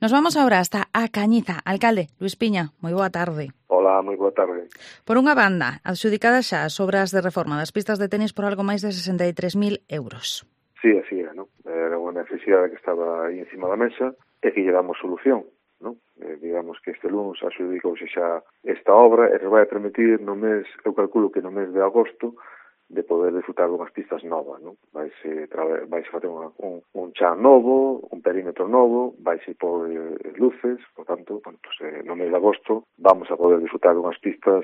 Nos vamos agora hasta a Cañiza. Alcalde, Luís Piña, moi boa tarde. Hola, moi boa tarde. Por unha banda, adxudicadas xa as obras de reforma das pistas de tenis por algo máis de 63.000 euros. Sí, así é, non? Era unha necesidade que estaba aí encima da mesa e que lle damos solución, non? Digamos que este lunes adxudicouse xa esta obra e nos vai a permitir no mes, eu calculo que no mes de agosto, de poder disfrutar dunhas pistas novas, non? Vaise facer un chan novo, un perímetro novo, vaise por luces, por tanto, bueno, pues, no mes de agosto vamos a poder disfrutar dunhas pistas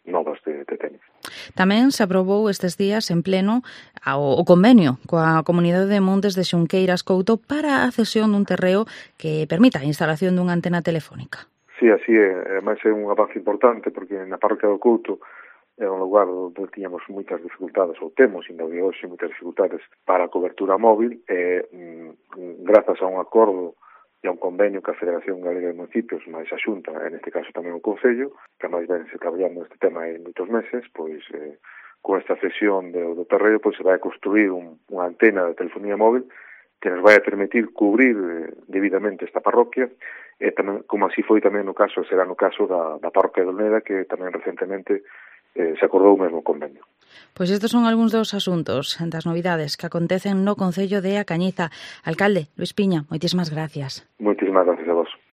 novas de tenis. Tamén se aprobou estes días en pleno o convenio coa Comunidade de Montes de Xunqueiras Couto para a cesión dun terreo que permita a instalación dunha antena telefónica. Sí, así é. Ademais é un avance importante porque na parroquia do Couto é un lugar onde tiñamos moitas dificultades, ou temos ainda de hoxe moitas dificultades para a cobertura móvil e grazas a un acordo e a un convenio que a Federación Galega de Municipios, máis a Xunta, en este caso tamén o Concello, que máis vense traballando este tema en moitos meses, pois con esta cesión do terreo pois se vai a construir unha antena de telefonía móvil que nos vai a permitir cubrir debidamente esta parroquia e tamén, como así foi tamén no caso, será no caso da parroquia de Olmeda, que tamén recentemente se acordou o mesmo convenio. Pois estes son algúns dos asuntos, das novidades que acontecen no Concello de A Cañiza. Alcalde, Luís Piña, moitísimas gracias. Moitísimas gracias a vos.